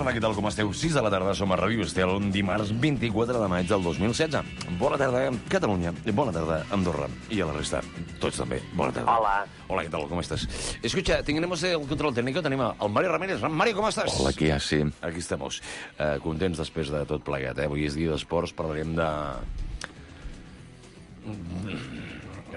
tarda, què tal, com esteu? 6 de la tarda, som a Ràdio Estel, dimarts 24 de maig del 2016. Bona tarda, Catalunya. Bona tarda, Andorra. I a la resta, tots també. Bona tarda. Hola. Hola, ¿qué tal? ¿Cómo estás? Escucha, tenemos el control técnico, tenim el Mario Ramírez. Mario, com estàs? Hola, què hi ha? Sí. Aquí estamos. Contents després de tot plegat, eh? Avui és dia d'esports, parlarem de...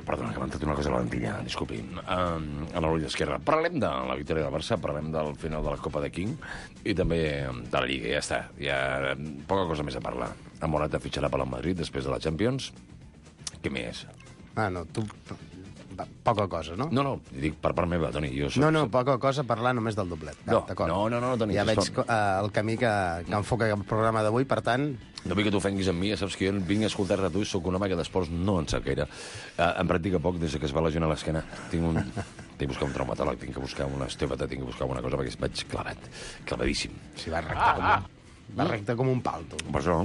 Perdona, que m'ha entrat una cosa a la lentilla, disculpi. A l'ull esquerra. Parlem de la victòria del Barça, parlem del final de la Copa de King i també de la Lliga, ja està. Ja poca cosa més a parlar. Ha Morata fitxarà per al Madrid després de la Champions. Què més? Ah, no, tu... Poca cosa, no? No, dic per part meva, Toni. Jo soc... No, poca cosa parlar només del doblet. No, Toni. Ja veig el camí que enfoca el programa d'avui, per tant... No vull que t'ofenguis amb mi, ja saps que jo vinc a escoltar-te a tu i sóc un home que d'esports no en sap gaire. Em practica poc des que es va lesionar l'esquena. Tinc de buscar un traumatòleg, tinc que buscar una osteòpata, tinc que buscar alguna cosa perquè vaig clavadíssim. Sí, va recte com un pal, tu. Per això,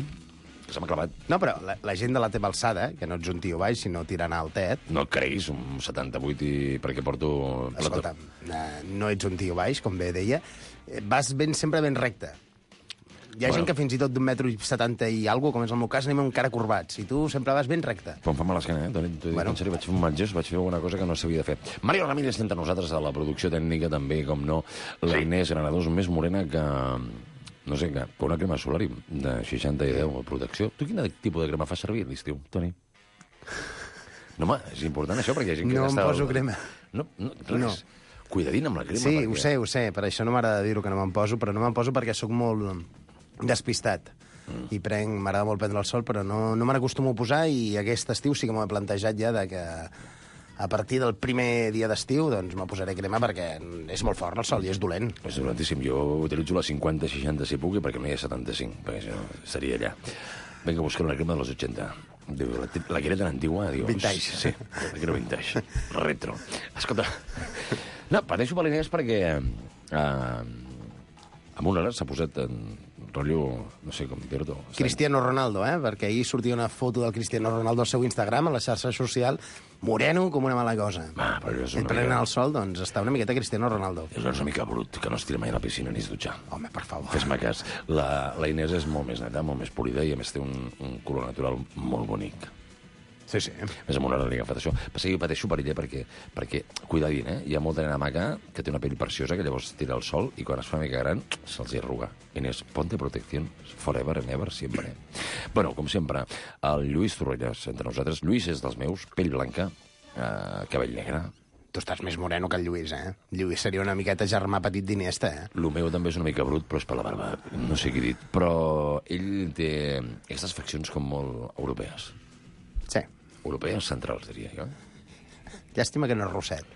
que se m'ha clavat. No, però la gent de la teva alçada, que no ets un tio baix, sinó tirant altet... No et creguis, un 78 i perquè porto... Escolta, no ets un tio baix, com bé deia, vas sempre ben recte. Hi ha gent que fins i tot d'un metro i 70 i alguna, com és el meu cas, anem encara corbats. I tu sempre vas ben recte. Però em fa mal l'esquena, Toni. T'ho dic en sèrio, vaig fer un mal gest, vaig fer alguna cosa que no s'havia de fer. Mario Ramírez està entre nosaltres a la producció tècnica, també, com no, la Inés Granados, més morena que... No sé, que una crema solari de 60 i 10 a protecció. Tu quin tipus de crema fas servir a l'estiu, Toni? No, home, és important això, perquè hi ha gent que no em poso crema. No. Cuidadín amb la crema. Sí, perquè... ho sé, per això no m'agrada dir-ho que no me'n poso, però no me'n poso perquè sóc molt despistat. I m'agrada molt prendre el sol, però no me n'acostumo a posar, i aquest estiu sí que m'ho he plantejat ja de que a partir del primer dia d'estiu doncs me posaré crema perquè és molt fort el sol i és dolent. És dolentíssim. Jo utilitzo la 50-60 si puc, perquè no hi ha 75, perquè això seria allà. Vinga, buscar una crema de los 80. La que era tan antigua, dius... Vintage. Sí, la que era vintage. Retro. Escolta, no, pateixo per l'Inés perquè amb una hora s'ha posat en rotllo, no sé com dir-ho. Cristiano Ronaldo, perquè ahir sortia una foto del Cristiano Ronaldo al seu Instagram, a la xarxa social, moreno com una mala cosa. Però és una prenent el sol, doncs està una miqueta Cristiano Ronaldo. És una mica brut, que no es tira mai a la piscina ni es dutxa. Home, per favor. Fes-me cas. La Inés és molt més neta, molt més polida, i a més té un color natural molt bonic. Sí. Més amb una hora li ha agafat això. Passa que jo pateixo per ella perquè cuidadín, hi ha molta nena maca que té una pell preciosa que llavors tira el sol i quan es fa una mica gran se'ls hi arruga. Inés, ponte protección forever and ever, siempre. Bueno, com sempre, el Lluís Torrelles entre nosaltres. Lluís és dels meus, pell blanca, cabell negre. Tu estàs més moreno que el Lluís, Lluís seria una miqueta germà petit d'Iniesta, El meu també és una mica brut, però és per la barba. No sé què he dit. Però ell té aquestes faccions com molt europees. Sí. Europees centrals, diria jo. Llàstima que no és rosset.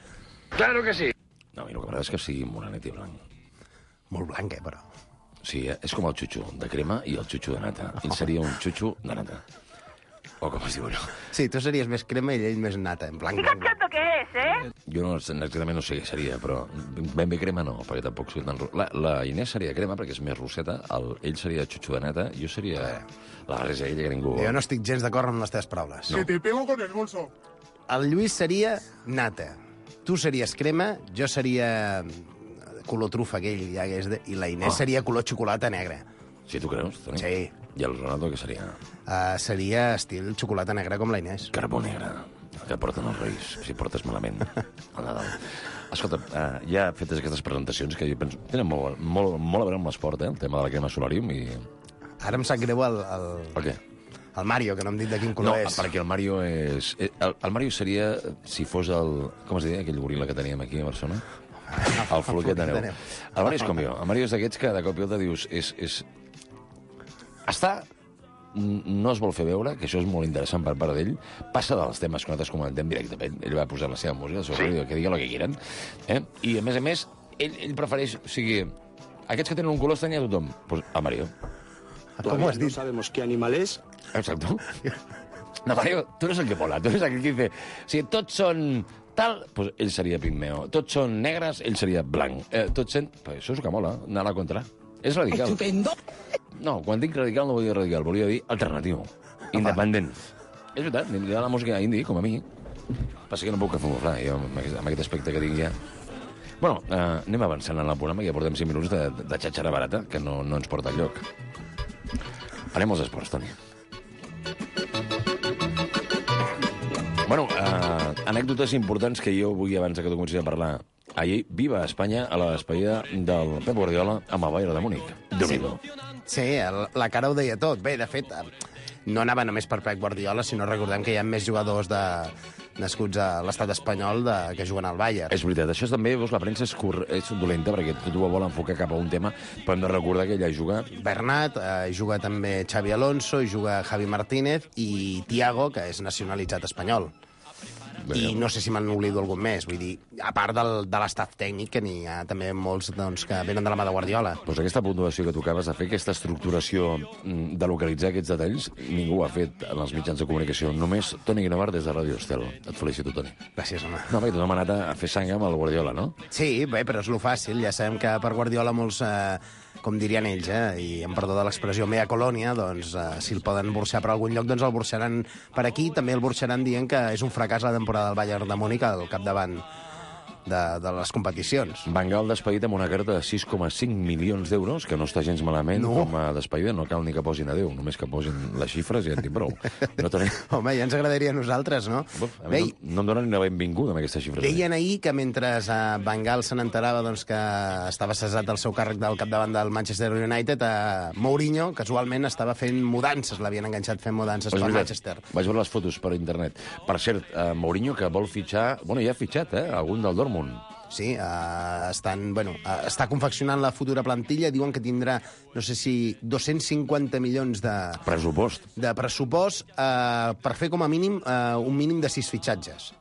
Claro que sí. No, a mi el que m'agrada és que sigui morenet i blanc. Molt blanc, però. Sí, és com el xutxo de crema i el xutxo de nata. Ell seria un xutxo de nata. O com es diu allò. Sí, tu series més crema i ell més nata, en blanc. ¿Qué chato que es, Jo exactament no sé què seria, però ben bé crema no, perquè tampoc soy tan... La Inés seria crema perquè és més roseta, ell seria xutxo de nata, jo seria la barreja ella que ningú... Jo no estic gens d'acord amb les teves paraules. Que te pego con el bolso. El Lluís seria nata. Tu series crema, jo seria color trufa aquell, i la Inés seria color xocolata negra. Sí, tu creus, Toni? Sí. I el Ronaldo què seria? Seria estil xocolata negra com la Inés. Carbó negre, que porten els Reis, si portes malament al Nadal. Escolta, ja fetes aquestes presentacions, que jo penso tenen molt a veure amb l'esport, el tema de la crema solarium, i... Ara em sap greu el Per què? el Mario, que no em dit de quin color és. No, perquè el Mario és... El Mario seria, si fos el... Com es deia, aquell goril·la que teníem aquí a Barcelona? El floquet de neu. El Mario és com jo. El Mario és d'aquests que de cop i volta dius... no es vol fer veure, que això és molt interessant per part d'ell, passa dels temes que nosaltres comentem directament. Ell va posar la seva música, el seu ràdio, que digui el que quieran. I, a més, ell prefereix... O sigui, aquests que tenen un color estrany a tothom. Pues a Mario. Com ho has dit? No sabemos qué animal es. Exacto. No, Mario, tú eres el que mola. Tú eres aquel que dice, si tots són tal, pues ell seria pigmeo. Tots són negres, ell seria blanc. Tots són... Pues això és el que mola, anar a la contra. És radical. Estupendo. No, quan dic radical no volia dir radical, volia dir alternatiu, independent. És veritat, m'agrada la música indie, com a mi. Passa que no puc camuflar, jo, amb aquest aspecte que tinc ja. Bueno, anem avançant en el programa, ja portem 5 minuts de xatxara barata, que no ens porta enlloc. Anem als esports, Toni. Bueno, anècdotes importants que jo vull, abans que tu comencis a parlar. Ahir, viva Espanya a la despedida del Pep Guardiola amb el Bayern de Múnich. Déu-n'hi-do. Sí, la cara ho deia tot. Bé, de fet, no anava només per Pep Guardiola, sinó recordem que hi ha més jugadors nascuts a l'estat espanyol que juguen al Bayern. És veritat, això també, veus, la premsa és dolenta perquè tot ho vol enfocar cap a un tema, però hem de recordar que ella juga... Bernat, juga també Xavi Alonso, i juga Javi Martínez i Thiago, que és nacionalitzat espanyol. I no sé si me'n oblido algun més. Vull dir, a part de l'estaf tècnic, que n'hi ha també molts que venen de la mà de Guardiola. Doncs aquesta puntuació que tu acabes de fer, aquesta estructuració de localitzar aquests detalls, ningú ho ha fet en els mitjans de comunicació. Només Toni Guinovart des de Ràdio Estel. Et felicito, Toni. Gràcies, home. No, perquè tothom ha anat a fer sang amb el Guardiola, no? Sí, bé, però és lo fàcil. Ja sabem que per Guardiola molts... com dirien ells, i en perdó de l'expressió mea colònia, doncs si el poden burxar per algun lloc, doncs el burxaran per aquí. També el burxaran dient que és un fracàs la temporada del Bayern de Múnich al capdavant de les competicions. Van Gaal despedit amb una carta de 6,5 milions d'euros, que no està gens malament com a despedida. No cal ni que posin a Déu, només que posin les xifres i en tinc prou. No tenim... Home, ja ens agradaria a nosaltres, no? A mi no em donen ni la benvinguda amb aquestes xifres. Deien ahir que mentre Van Gaal se n'enterava doncs, que estava cessat del seu càrrec del capdavant del Manchester United, Mourinho, casualment, estava fent mudances, l'havien enganxat fent mudances per Manchester. Vaig veure les fotos per internet. Per cert, Mourinho, que vol fitxar... Bueno, ja ha fitxat, algun del Dortmund. Sí, està confeccionant la futura plantilla. Diuen que tindrà, no sé si 250 milions de pressupost per fer com a mínim un mínim de 6 fitxatges.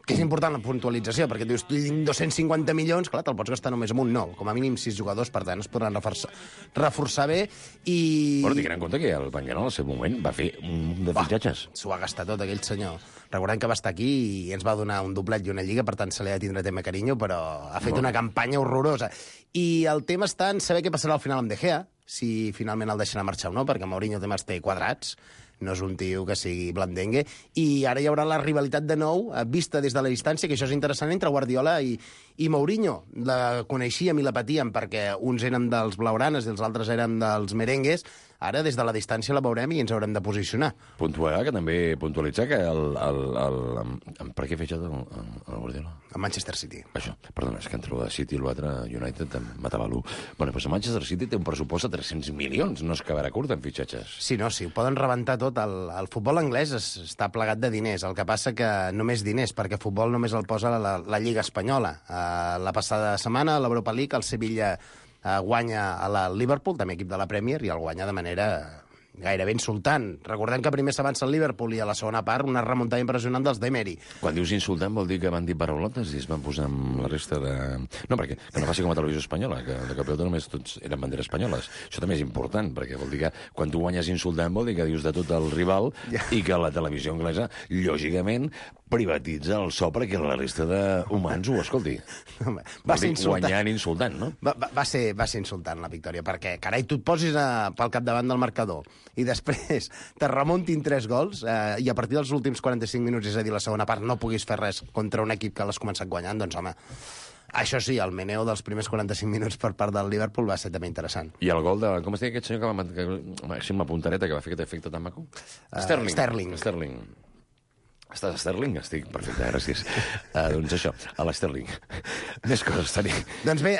Que és important la puntualització, perquè dius, tu tinc 250 milions, clar, te'l pots gastar només amb un, no. Com a mínim 6 jugadors, per tant, es podran reforçar bé i... Bueno, tinguin en compte que el Van Gaal al seu moment va fer un munt de fitxatges. S'ho va gastar tot, aquell senyor. Recordem que va estar aquí i ens va donar un doblet i una lliga, per tant se li ha de tindre tema carinyo, però ha fet una campanya horrorosa. I el tema està en saber què passarà al final amb De Gea, si finalment el deixarà marxar o no, perquè Mourinho també els té quadrats, no és un tio que sigui blandengue, i ara hi haurà la rivalitat de nou, vista des de la distància, que això és interessant, entre Guardiola i Mourinho. La coneixíem i la patíem perquè uns eren dels blaugranes i els altres eren dels merengues. Ara, des de la distància, la veurem i ens haurem de posicionar. Puntualitzar que per què ha fitxat el Guardiola? A Manchester City. Això, perdona, és que entre el City i l'altre United em matava l'1. Bueno, doncs el Manchester City té un pressupost de 300 milions, no es quedarà curt en fitxatges. Sí, no, sí, ho poden rebentar tot. El futbol anglès està plegat de diners, el que passa que només diners, perquè futbol només el posa la Lliga Espanyola. La passada setmana, a l'Europa League, el Sevilla guanya a la Liverpool, també equip de la Premier, i el guanya de manera gairebé insultant. Recordem que primer s'avança el Liverpool i a la segona part una remuntada impressionant dels d'Emery. Quan dius insultant vol dir que van dir paraulotes i es van posar amb la resta de... No, perquè que no faci com a televisió espanyola, que de campió només tots eren banderes espanyoles. Això també és important, perquè vol dir que quan tu guanyes insultant vol dir que dius de tot el rival i que la televisió anglesa, lògicament, privatitza el so perquè la resta d'humans ho escolti. Va ser insultant. Guanyant insultant, no? Va ser insultant la victòria, perquè, carai, tu et posis pel capdavant del marcador i després te remuntin 3 gols i a partir dels últims 45 minuts, és a dir, la segona part, no puguis fer res contra un equip que l'has començat guanyant, doncs, home, això sí, el meneo dels primers 45 minuts per part del Liverpool va ser també interessant. I el gol de... Com es deia aquest senyor que amb la puntareta que va fer aquest efecte tan maco? Sterling. Estàs a Sterling? Estic perfecte, gràcies. Doncs això, a l'Sterling. Més coses, Toni. Doncs bé,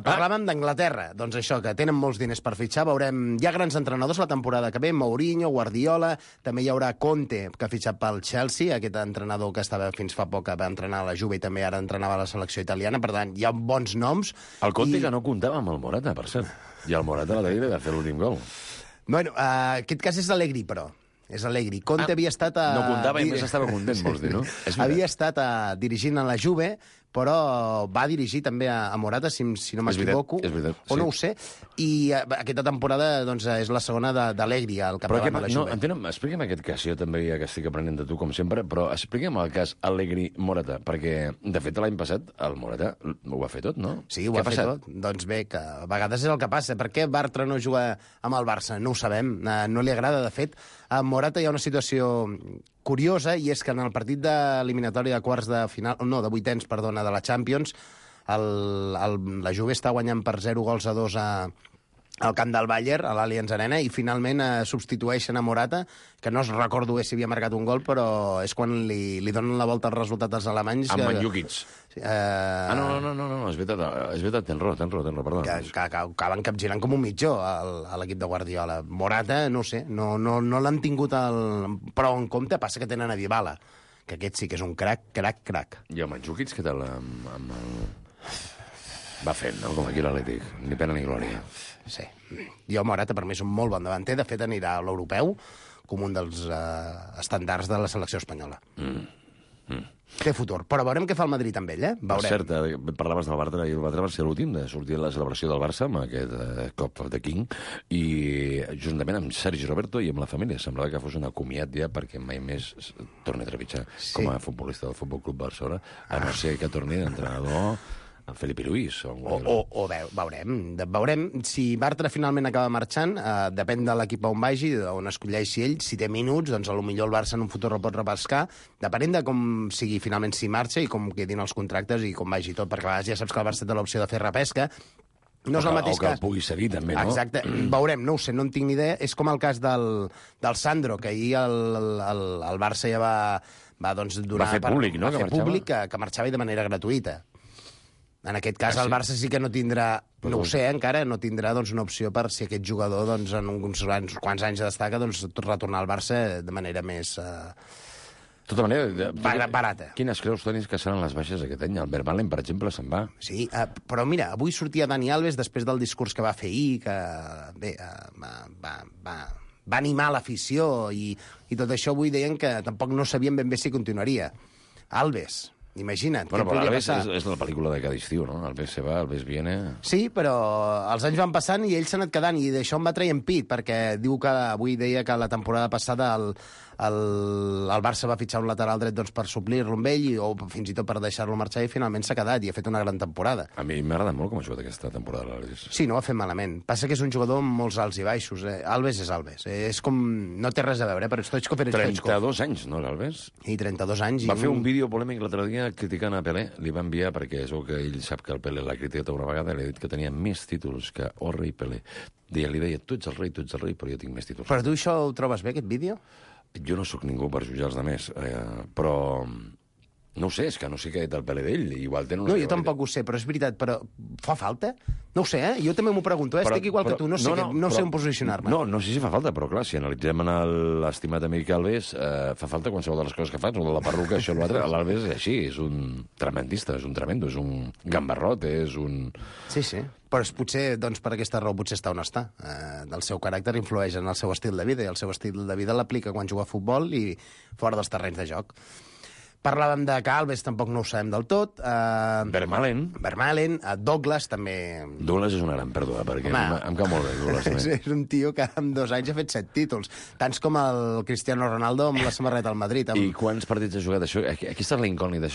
parlàvem d'Anglaterra. Doncs això, que tenen molts diners per fitxar. Veurem, hi ha grans entrenadors la temporada que ve, Mourinho, Guardiola, també hi haurà Conte, que ha fitxat pel Chelsea, aquest entrenador que estava fins fa poc, que va entrenar a la Juve i també ara entrenava a la selecció italiana. Per tant, hi ha bons noms. El Conte que no comptava amb el Morata, per cert. I el Morata la va fer l'últim gol. Bueno, aquest cas és Allegri, però. És Allegri. Conte havia estat no comptava i més estava content, vols dir, no? Havia estat dirigint a la Juve, però va dirigir també a Morata, si no m'equivoco, o no ho sé, i aquesta temporada doncs, és la segona d'Allegri al capdavant de la Juve. Explica'm aquest cas, jo també ja que estic aprenent de tu, com sempre, però explica'm el cas Allegri-Morata, perquè, de fet, l'any passat el Morata ho va fer tot, no? Sí, ho va fer tot. Doncs bé, que a vegades és el que passa. Per què Bartra no juga amb el Barça? No ho sabem, no li agrada. De fet, a Morata hi ha una situació curiosa, i és que en el partit d'eliminatòria de quarts de final, no, de vuitens, perdona, de la Champions, la Juve està guanyant per 0-2 al camp del Bayern, a l'Allianz Arena, i finalment substitueixen a Morata, que no es recordo bé si havia marcat un gol, però és quan li donen la volta al resultat als alemanys. Amb Mandzukic. No, és veritat, tens raó, perdó. Que acaben capgirant com un mitjó a l'equip de Guardiola. Morata, no sé, no l'han tingut prou en compte, passa que tenen a Dybala, que aquest sí que és un crac. I el Mandzukic, què tal amb el... Va fent, no?, com aquí l'Atlètic. Ni pena ni glòria. Sí. Jo, Morata, per mi és un molt bon davanter. De fet, anirà a l'europeu com un dels estàndards de la selecció espanyola. Té futur. Però veurem què fa el Madrid amb ell, eh? Veurem. Per cert, parlaves del Bartra, i el Bartra va ser l'últim de sortir a la celebració del Barça amb aquest Cop of the King, i juntament amb Sergi Roberto i amb la família. Semblava que fos un acomiat ja perquè mai més torni a trepitjar com a futbolista del Futbol Club Barcelona, a no ser que torni d'entrenador en Felipe Luis. Veurem si Bartra finalment acaba marxant, depèn de l'equip on vagi, on escolleixi ell. Si té minuts, doncs potser el Barça en un futur el pot repescar, depenent de com sigui finalment si marxa i com quedin els contractes i com vagi tot, perquè a vegades ja saps que el Barça té l'opció de fer repesca. No és el mateix cas. O que el pugui seguir, també, no? Exacte. Veurem, no ho sé, no en tinc ni idea. És com el cas del Sandro, que ahir el Barça ja va donar... Va fer públic, no?, que marxava i de manera gratuïta. En aquest cas, el Barça sí que no tindrà, no ho sé, encara, no tindrà una opció per si aquest jugador en uns quants anys destaca, retornar al Barça de manera més... De tota manera... barata. Quines creus, Toni, que seran les baixes aquest any? El Vermaelen, per exemple, se'n va. Sí, però mira, avui sortia Dani Alves després del discurs que va fer ahir, que bé, va animar l'afició i tot això. Avui deien que tampoc no sabien ben bé si continuaria. Alves... Imagina't, què podria passar? És la pel·lícula de cada estiu, no? Alves se va, Alves viene... Sí, però els anys van passant i ell s'ha anat quedant, i d'això em va traient pit, perquè diu que avui deia que la temporada passada el Barça va fitxar un lateral dret per suplir-lo amb ell, o fins i tot per deixar-lo marxar, i finalment s'ha quedat i ha fet una gran temporada. A mi m'agrada molt com ha jugat aquesta temporada l'Alves. Sí, no ho ha fet malament. Passa que és un jugador amb molts alts i baixos. Alves és Alves. És com... No té res a veure, però Stoichkov era Stoichkov. 32 anys, no, l'Alves? I 32 anys. Va fer un vídeo polèmic l'altre dia criticant a Pelé. Li va enviar perquè és que ell sap que el Pelé l'ha criticat una vegada, li ha dit que tenia més títols que el rei Pelé. Li deia, tu ets el rei, però jo tinc més títols. Però tu això ho trobes bé, aquest vídeo? Jo no sóc ningú per jutjar els altres, però no ho sé, és que no sé què és el Pelé d'ell. Igual tenen no, jo tampoc ho sé, però és veritat, però fa falta? No ho sé, jo també m'ho pregunto, estic igual que tu, no sé on posicionar-me. No sé si fa falta, però clar, si analitzem l'estimat amic Alves, fa falta qualsevol de les coses que fa, o de la perruca, això o l'altre. L'Alves és així, és un tremendista, és un tremendo, és un gambarrot, és un... Sí, però potser, per aquesta raó, potser està on està. El seu caràcter influeix en el seu estil de vida, i el seu estil de vida l'aplica quan juga a futbol i fora dels terrenys de joc. Parlàvem de que Alves tampoc no ho sabem del tot. Vermaelen, Douglas també... Douglas és una gran pèrdua, perquè em cau molt bé, Douglas. És un tio que en 2 anys ha fet 7 títols, tants com el Cristiano Ronaldo amb la samarreta al Madrid. I quants partits ha jugat això? Aquesta és la incògnita.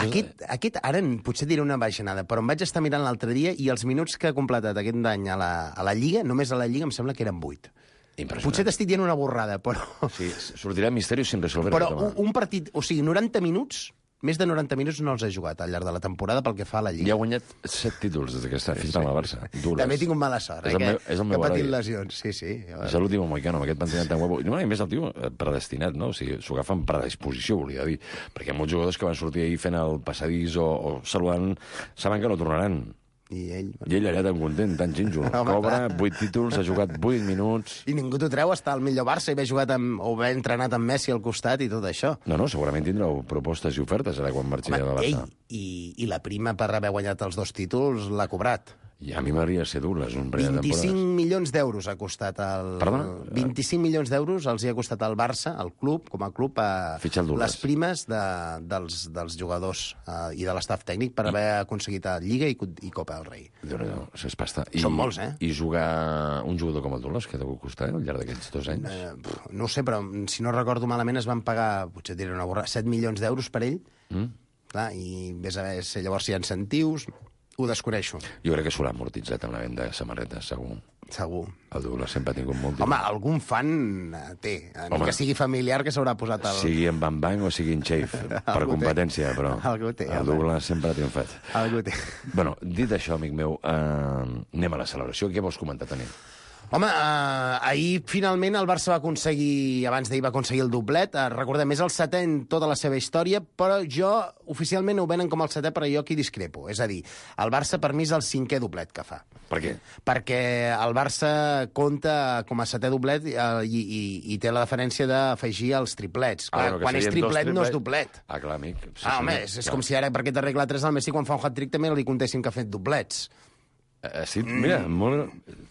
Aquest, ara potser diré una baixanada, però em vaig estar mirant l'altre dia i els minuts que ha completat aquest any a la Lliga, només a la Lliga em sembla que eren 8. Potser t'estic dient una borrada, però... Sí, sortirà misteri sin resolver. Però un partit, o sigui, 90 minuts... Més de 90 minuts no els ha jugat al llarg de la temporada pel que fa a la Lliga. I ha guanyat 7 títols des que està fitxat amb el Barça. També he tingut mala sort, que ha patit lesions. Sí. És l'últim moicano, amb aquest pentinat tan guapo. No, i més el tio predestinat, no? O sigui, s'ho agafa amb predisposició, volia dir. Perquè hi ha molts jugadors que van sortir ahir fent el passadís o saludant, saben que no tornaran. I ell allà tan content, tan xinxo. Cobra 8 títols, ha jugat 8 minuts... I ningú t'ho treu estar al millor Barça i haver jugat o haver entrenat amb Messi al costat i tot això. No, segurament tindreu propostes i ofertes ara quan marxi de Barça. I la prima per haver guanyat els 2 títols l'ha cobrat. I a mi m'agradaria ser Douglas, un parell de temporades. 25 milions d'euros ha costat el... Perdona? 25 milions d'euros els hi ha costat al Barça, al club, com a club, les primes dels jugadors i de l'estaf tècnic per haver aconseguit Lliga i Copa del Rei. Déu-n'hi-do, és pasta. Són molts, I jugar un jugador com el Douglas, que deu costar al llarg d'aquests 2 anys? No ho sé, però si no recordo malament es van pagar, potser diré una borrada, 7 milions d'euros per ell. Clar, i vés a veure si llavors hi ha incentius... Ho desconeixo. Jo crec que s'ho l'ha amortitzat amb la venda de samarretes, segur. Segur. El Douglas sempre ha tingut molt... Home, algun fan té. Ni que sigui familiar que s'haurà posat el... Sigui en Bang Bang o sigui en Chafe, per competència, però Algú té, el Douglas sempre ha triomfat. Algú té. Bueno, dit això, amic meu, anem a la celebració. Què vols comentar, Toni? Home, ahir finalment el Barça va aconseguir, abans d'ahir va aconseguir el doblet, recordem, és el setè en tota la seva història, però jo, oficialment ho venen com el setè, però jo aquí discrepo. És a dir, el Barça per mi és el cinquè doblet que fa. Per què? Perquè el Barça compta com a setè doblet i té la diferència d'afegir els triplets. Clar, quan és triplet no és doblet. Ah, clar, amic. Sí, home, és com si ara, per aquesta regla 3 al Messi, quan fa un hat-trick també li contessin que ha fet doblets. Sí, mira,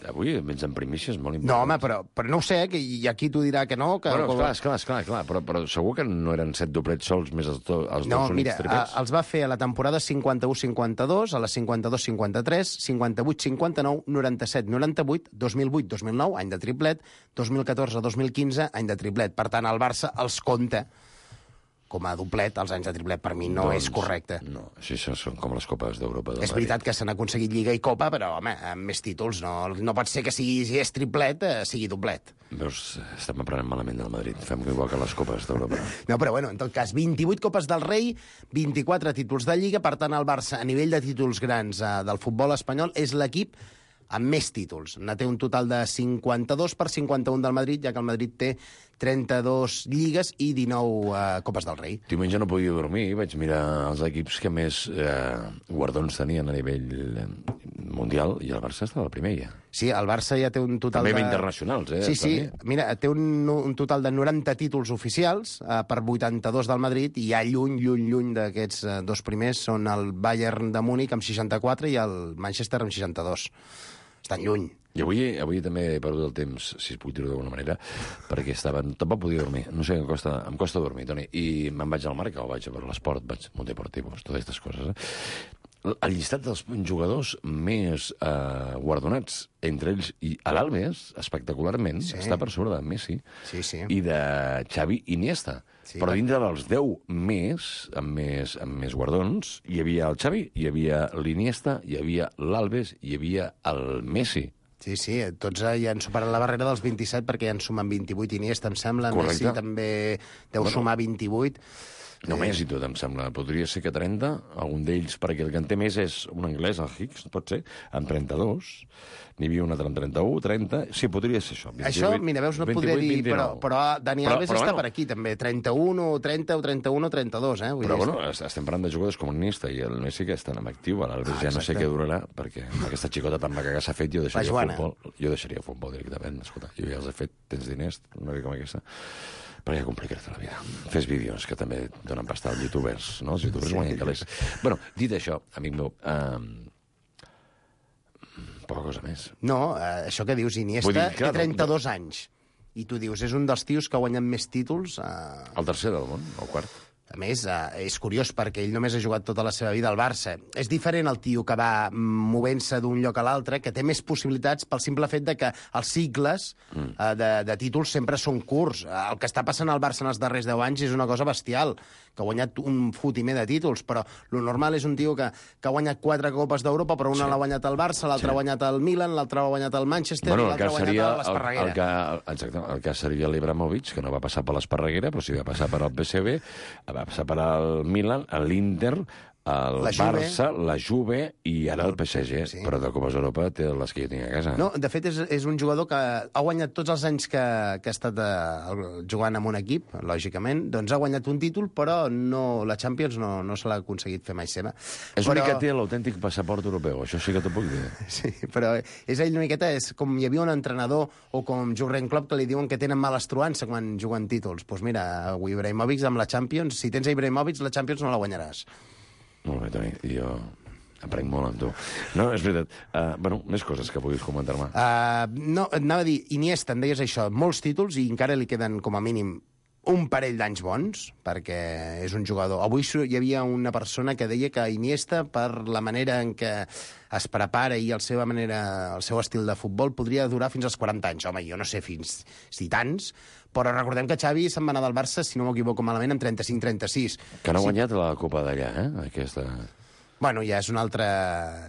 avui vens en primícies molt No, importants. home, però no ho sé, i aquí t'ho dirà que no. Que... Bueno, esclar, però segur que no eren 7 doblets sols més els dos únics triplets? Els va fer a la temporada 51-52, a la 52-53, 58-59, 97-98, 2008-2009, any de triplet, 2014-2015, any de triplet. Per tant, el Barça els compta com a doblet, els anys de triplet, per mi no és correcte. No, així són com les copes d'Europa. És veritat que s'han aconseguit Lliga i Copa, però, home, amb més títols no pot ser que si és triplet, sigui doblet. Veus, estem aprenent malament del Madrid. Fem igual que les copes d'Europa. No, però, bueno, en tot cas, 28 Copes del Rei, 24 títols de Lliga, per tant, el Barça, a nivell de títols grans del futbol espanyol, és l'equip amb més títols. Ne té un total de 52 per 51 del Madrid, ja que el Madrid té 32 lligues i 19 Copes del Rei. Diumenge no podia dormir, vaig mirar els equips que més guardons tenien a nivell mundial, i el Barça estava al primer, ja. Sí, el Barça ja té un total també de... internacionals, Sí, mira, té un total de 90 títols oficials per 82 del Madrid, i ja lluny d'aquests dos primers són el Bayern de Múnich amb 64 i el Manchester amb 62. Estan lluny. I avui també he perdut el temps, si es puc dir-ho d'alguna manera, perquè tampoc podia dormir. No sé, em costa dormir, Toni. I me'n vaig al Marca, o vaig a veure l'esport, vaig a Monteportivo, totes aquestes coses. El llistat dels jugadors més guardonats entre ells i a l'Albes, espectacularment, està per sobre de Messi i de Xavi Iniesta. Sí, però dintre dels 10 amb més guardons, hi havia el Xavi, hi havia l'Iniesta, hi havia l'Albes, hi havia el Messi. Sí, tots ja han superat la barrera dels 27 perquè ja en sumen 28 Iniesta, em sembla. Correcte. Messi també deu sumar 28. Només i tot, em sembla. Podria ser que 30, algun d'ells, perquè el que en té més és un anglès, el Higgs, pot ser, amb 32. N'hi havia un altre amb 31, 30... Sí, podria ser això. 28, això, mira, veus, no 28, podria dir... 29. Però Dani Alves està per aquí, també. 31 o 30 o 31 o 32, eh? Però, bueno, estem parlant de jugadors com Iniesta i el Messi que estan en actiu. L'Alves ja no sé què durarà, perquè amb aquesta xicota tan maca que s'ha fet, jo deixaria futbol directament. Escolta, jo ja els he fet, tens diners, una mica com aquesta. Però ja complicar-te la vida. Fes vídeos, que també donen pasta als youtubers, no? Els youtubers guanyen calés. Bueno, dit això, amic meu, poca cosa més. No, això que dius, Iniesta té 32 anys. I tu dius, és un dels tios que ha guanyat més títols... El tercer del món, el quart. A més, és curiós perquè ell només ha jugat tota la seva vida al Barça. És diferent el tio que va movent-se d'un lloc a l'altre, que té més possibilitats pel simple fet de que els cicles de títols sempre són curts. El que està passant al Barça en els darrers 10 anys és una cosa bestial, que ha guanyat un fotimer de títols, però lo normal és un tio que ha guanyat 4 Copes d'Europa, però una l'ha guanyat el Barça, l'altra ha guanyat el Milan, l'altra ha guanyat el Manchester, i l'altra ha guanyat l'Esparreguera. El cas seria l'Ibrahimovic, que no va passar per l'Esparreguera, però sí va passar per el PSV, va passar per al Milan, l'Inter, el Barça, la Juve i ara el PSG. Sí. Però de Copes d'Europa té les que jo tinc a casa. No, de fet, és un jugador que ha guanyat tots els anys que ha estat jugant en un equip, lògicament, doncs ha guanyat un títol, però la Champions no se l'ha aconseguit fer mai seva. És l'únic que té l'autèntic passaport europeu, això sí que t'ho puc dir. Sí, però és ell una miqueta, és com hi havia un entrenador o com Jurgen Klopp que li diuen que tenen mala estruança quan juguen títols. Doncs mira, Ibrahimovic amb la Champions, si tens Ibrahimovic, la Champions no la guanyaràs. Molt bé, Toni, jo aprenc molt amb tu. No, és veritat. Bueno, més coses que puguis comentar-me. No, anava a dir, Iniesta, em deies això, molts títols i encara li queden com a mínim un parell d'anys bons, perquè és un jugador... Avui hi havia una persona que deia que Iniesta, per la manera en què es prepara i el seu estil de futbol, podria durar fins als 40 anys. Home, jo no sé fins si tants, però recordem que Xavi se'n va anar del Barça, si no m'equivoco malament, amb 35-36. Que no ha guanyat la Copa d'allà, aquesta... bueno, ja és un altre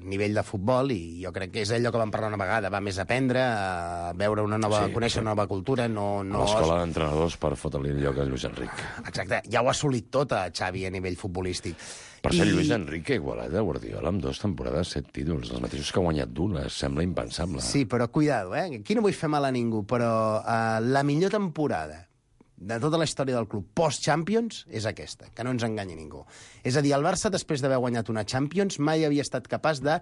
nivell de futbol i jo crec que és allò que vam parlar una vegada, va més a aprendre, a veure una nova, conèixer una nova cultura, no... A l'escola d'entrenadors per fotre-li el lloc a Lluís Enric. Exacte, ja ho ha assolit tot a Xavi a nivell futbolístic. Per cert, Lluís Enric ha igualat a Guardiola amb 2 temporades, 7 títols, els mateixos que ha guanyat Dula, sembla impensable. Sí, però cuidado, aquí no vull fer mal a ningú, però la millor temporada de tota la història del club post-Champions és aquesta, que no ens enganyi ningú. És a dir, el Barça, després d'haver guanyat una Champions, mai havia estat capaç de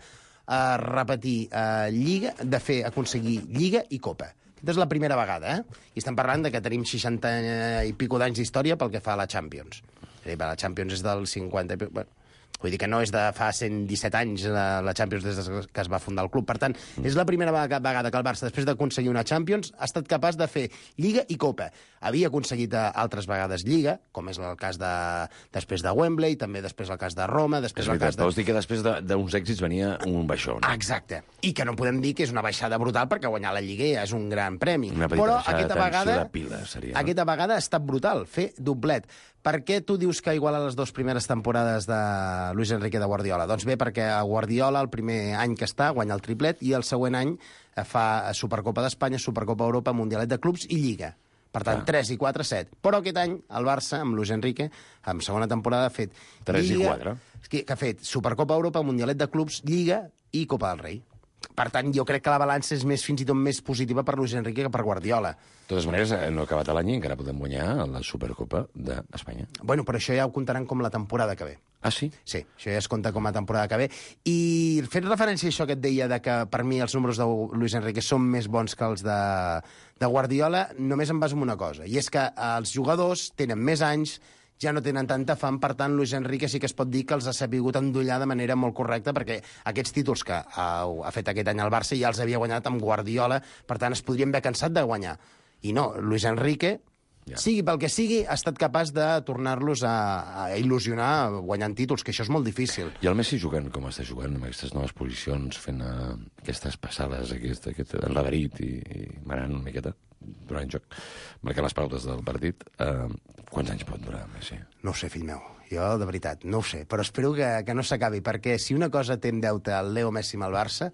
repetir Lliga, aconseguir Lliga i Copa. Aquesta és la primera vegada, I estem parlant de que tenim 60 i pico d'anys d'història pel que fa a la Champions. La Champions és del 50 i pico... Bueno, vull dir que no és de fa 117 anys la Champions des que es va fundar el club. Per tant, és la primera vegada que el Barça, després d'aconseguir una Champions, ha estat capaç de fer Lliga i Copa. Havia aconseguit altres vegades Lliga, com és el cas després de Wembley, també després el cas de Roma, després el cas de... Vols dir que després d'uns èxits venia un baixó, no? Exacte. I que no podem dir que és una baixada brutal perquè guanyar la Lliga ja és un gran premi. Una Però aquesta vegada seria, no? Aquesta vegada ha estat brutal, fer doblet. Per què tu dius que iguala les 2 primeres temporades de Luis Enrique de Guardiola? Doncs bé, perquè a Guardiola el primer any que està guanya el triplet i el següent any fa Supercopa d'Espanya, Supercopa Europa, Mundialet de Clubs i Lliga. Per tant, 3 i 4, 7. Però aquest any el Barça, amb Luis Enrique, en segona temporada ha fet 3 Lliga, i 4. Que ha fet Supercopa Europa, Mundialet de Clubs, Lliga i Copa del Rei. Per tant, jo crec que la balança és fins i tot més positiva per Luis Enrique que per Guardiola. De totes maneres, no ha acabat l'any i encara podem guanyar la Supercopa d'Espanya. Bueno, però això ja ho comptaran com la temporada que ve. Ah, sí? Sí, això ja es compta com a temporada que ve. I fent referència a això que et deia de que per mi els números de Luis Enrique són més bons que els de Guardiola, només em baso en una cosa, i és que els jugadors tenen més anys, ja no tenen tanta fam, per tant, Luis Enrique sí que es pot dir que els ha sapigut endollar de manera molt correcta, perquè aquests títols que ha fet aquest any al Barça ja els havia guanyat amb Guardiola, per tant, es podrien haver cansat de guanyar. I no, Luis Enrique, sigui pel que sigui, ha estat capaç de tornar-los a il·lusionar guanyant títols, que això és molt difícil. I el Messi jugant com està jugant, amb aquestes noves posicions, fent aquestes passades, aquest enladarit i manant una miqueta durant el joc, marcant les pautes del partit, quants anys pot durar Messi? No ho sé, fill meu. Jo, de veritat, no ho sé. Però espero que no s'acabi, perquè si una cosa té en deute el Leo Messi amb el Barça,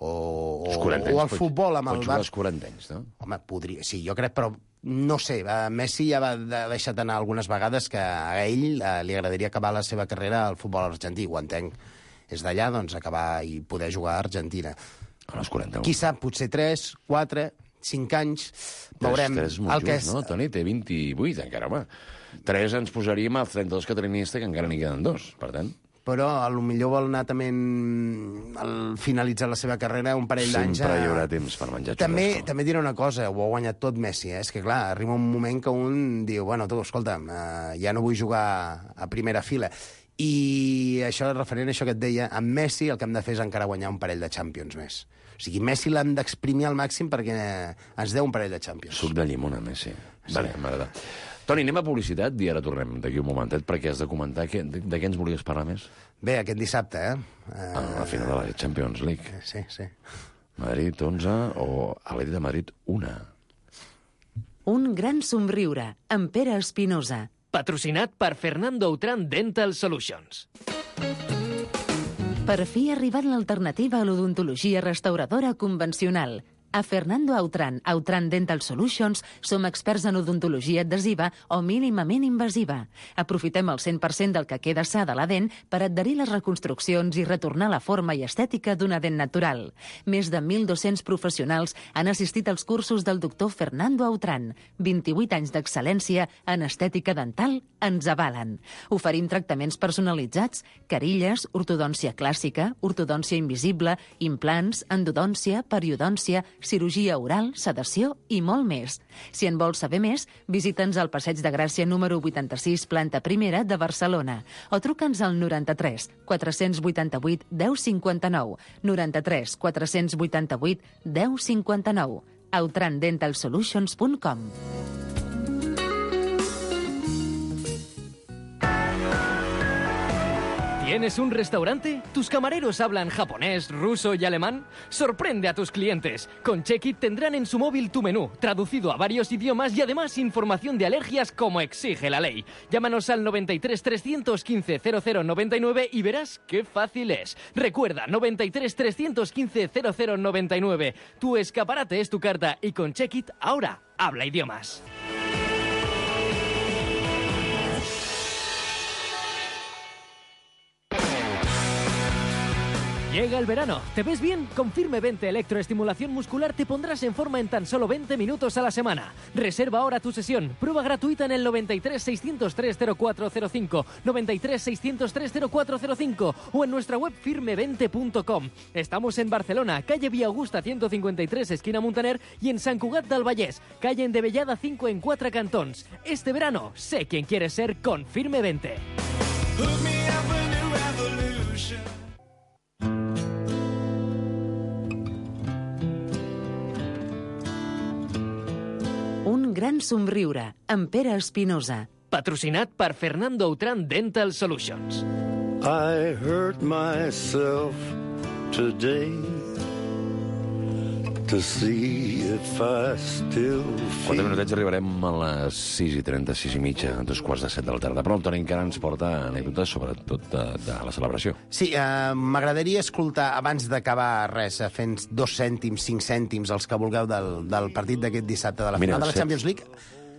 o el futbol amb el Barça... Pot jugar als 40 anys, no? Home, podria... Sí, jo crec, però no sé. Messi ja va deixar anar algunes vegades que a ell li agradaria acabar la seva carrera al futbol argentí, ho entenc. És d'allà, doncs, acabar i poder jugar a Argentina. A les 40. Qui sap, potser 3, 4, 5 anys, veurem... 3 és molt just, no? Toni té 28, encara, home. 3 ens posaríem als 32 que tenim que encara n'hi queden 2, per tant... Però potser vol anar també al finalitzar la seva carrera un parell d'anys... Sempre hi haurà temps per menjar xurrasco. També diré una cosa, ho ha guanyat tot Messi, És que, clar, arriba un moment que un diu, bueno, tu, escolta'm, ja no vull jugar a primera fila. I això, referent a això que et deia, amb Messi el que hem de fer és encara guanyar un parell de Champions més. O sigui, Messi l'hem d'exprimir al màxim perquè ens deu un parell de Champions. Suc de llimona, Messi. Sí. Vale, m'agrada. Toni, anem a publicitat i ara tornem d'aquí un momentet perquè has de comentar de què ens volies parlar més. Bé, aquest dissabte, la final de la Champions League. Sí, sí. Madrid 11 o Atlètic de Madrid 1. Un gran somriure, amb Pere Espinosa. Patrocinat per Fernando Autran Dental Solutions. Per fi ha arribat l'alternativa a l'odontologia restauradora convencional. A Fernando Autran Dental Solutions som experts en odontologia adhesiva o mínimament invasiva. Aprofitem el 100% del que queda sa de la dent per adherir les reconstruccions i retornar la forma i estètica d'una dent natural. Més de 1.200 professionals han assistit als cursos del doctor Fernando Autran. 28 anys d'excel·lència en estètica dental ens avalen. Oferim tractaments personalitzats, carilles, ortodòncia clàssica, ortodòncia invisible, implants, endodòncia, periodòncia, cirurgia oral, sedació i molt més. Si en vols saber més, visita'ns al Passeig de Gràcia número 86, planta primera de Barcelona, o truca'ns al 93 488 1059, 93 488 1059, outrandentalsolutions.com. ¿Tienes un restaurante? ¿Tus camareros hablan japonés, ruso y alemán? Sorprende a tus clientes. Con Check-It tendrán en su móvil tu menú, traducido a varios idiomas y además información de alergias como exige la ley. Llámanos al 93 315 0099 y verás qué fácil es. Recuerda, 93 315 0099. Tu escaparate es tu carta y con Check-It ahora habla idiomas. Llega el verano. ¿Te ves bien? Con Firme 20 Electroestimulación Muscular te pondrás en forma en tan solo 20 minutos a la semana. Reserva ahora tu sesión. Prueba gratuita en el 93 603 0405, 93 603 0405 o en nuestra web firme20.com. Estamos en Barcelona, calle Vía Augusta 153, esquina Muntaner, y en Sant Cugat del Vallès, calle Endevellada 5 en 4 cantons. Este verano, sé quién quieres ser con Firme 20. Un gran somriure, amb Pere Espinosa. Patrocinat per Fernando Autran Dental Solutions. I hurt myself today to see if I still 4 minutets arribarem a les 6:30, 6:30, a 2:15 de la tarda. Però el Toni encara ens porta anècdotes, sobretot de la celebració. Sí, m'agradaria escoltar, abans d'acabar res, fent 2 cèntims, 5 cèntims, els que vulgueu del partit d'aquest dissabte de la final de la Champions League.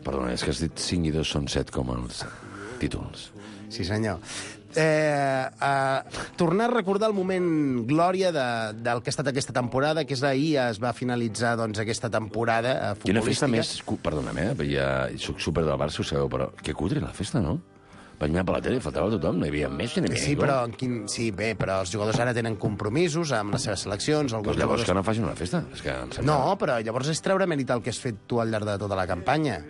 Perdona, és que has dit 5 i 2 són 7 com els títols. Sí, senyor. Tornar a recordar el moment glòria del que ha estat aquesta temporada, que és ahir es va finalitzar doncs, aquesta temporada futbolística. I una festa més... Perdona'm, ja soc súper del Barça, ho sabeu, però que cutre la festa, no? Vaig mirar per la tele, faltava tothom, no hi havia Messi, no hi havia ningú. Sí, bé, però els jugadors ara tenen compromisos amb les seves seleccions. Doncs llavors que no facin una festa. És que no, però llavors és treure mèrit al que has fet tu al llarg de tota la campanya.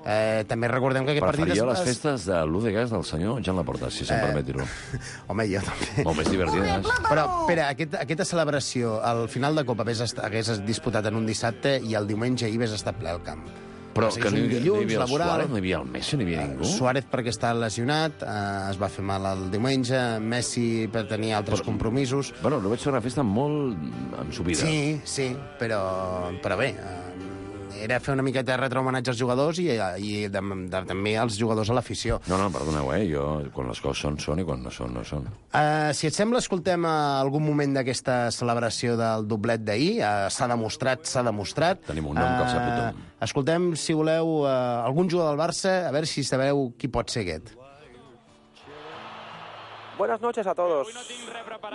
També recordem que aquest partit... Preferia les festes de l'U de Gas del senyor Jan Laporta, si se'm permet dir-ho. Home, jo també. Molt més divertides. Però, Pere, aquesta celebració, al final de Copa hagués disputat en un dissabte i el diumenge hi hagués estat ple al camp. Però que no hi havia el Suárez, no hi havia el Messi, no hi havia ningú. Suárez perquè està lesionat, es va fer mal el diumenge, Messi per tenir altres compromisos. Bueno, no vaig fer una festa molt ensupida. Sí, però bé, era fer una miqueta de retrohomenatge als jugadors i també als jugadors a l'afició. No, perdoneu, jo, quan les coses són i quan no són, no són. Si et sembla, escoltem algun moment d'aquesta celebració del doblet d'ahir. S'ha demostrat. Tenim un nom que el sap tothom. Escoltem, si voleu, algun jugador del Barça, a veure si sabeu qui pot ser aquest. Buenas noches a todos.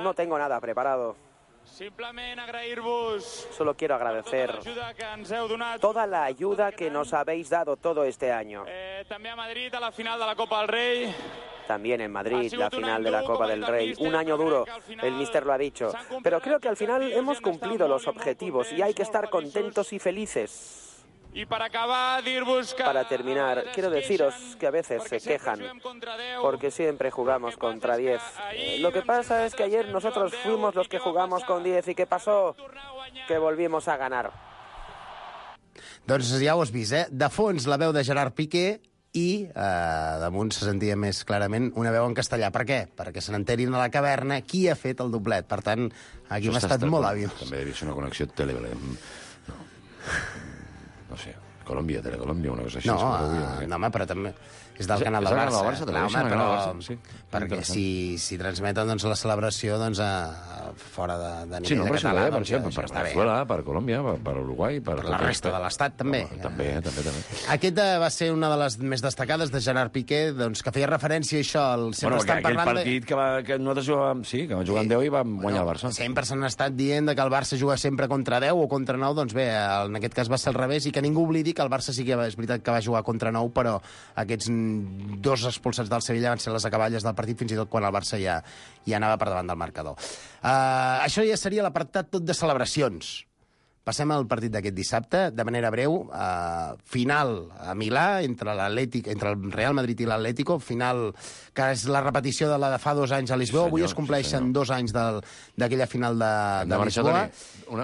No tengo nada preparado. Simplement agrair-vos... Solo quiero agradecer toda la ayuda que nos habéis dado todo este año. També a Madrid, a la final de la Copa del Rey. También en Madrid, la final de la Copa del Rey. Un año duro, el míster lo ha dicho. Pero creo que al final hemos cumplido los objetivos y hay que estar contentos y felices. Y para acabar, dir-vos que... Para terminar, quiero deciros que a veces se quejan, porque siempre jugamos contra 10. Lo que pasa es que ayer nosotros fuimos los que jugamos con 10 y ¿qué pasó? Que volvimos a ganar. Doncs ja ho has vist, De fons la veu de Gerard Piqué i damunt se sentia més clarament una veu en castellà. Per què? Perquè se n'enterin a la caverna qui ha fet el doblet. Per tant, aquí hem estat molt hàbils. També devia ser una connexió Televelem. No sé, Colòmbia, Telecolòmbia, una cosa així. No, home, però també és del canal del Barça. És del canal del Barça, sí. Perquè si transmeten la celebració fora de nivell de català... Per Venezuela, per Colòmbia, per Uruguai... Per la resta de l'Estat, també. També. Aquesta va ser una de les més destacades de Gerard Piqué, que feia referència a això. Bueno, aquell partit que nosaltres jugàvem, sí, que vam jugar amb 10 i vam guanyar el Barça. Sempre s'han estat dient que el Barça juga sempre contra 10 o contra 9, doncs bé, en aquest cas va ser al revés, i que ningú oblidi que el Barça sí que és veritat que va jugar contra 9, però aquests 2 expulsats del Sevilla van ser les acaballes del partit, fins i tot quan el Barça ja anava per davant del marcador. Això ja seria l'apartat tot de celebracions. Passem al partit d'aquest dissabte, de manera breu. Final a Milà, entre el Real Madrid i l'Atlético, final que és la repetició de la de fa 2 anys a Lisboa. Avui es compleixen 2 anys d'aquella final de Lisboa.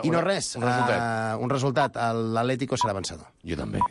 I no res, un resultat. L'Atlético serà vencedor. Jo també.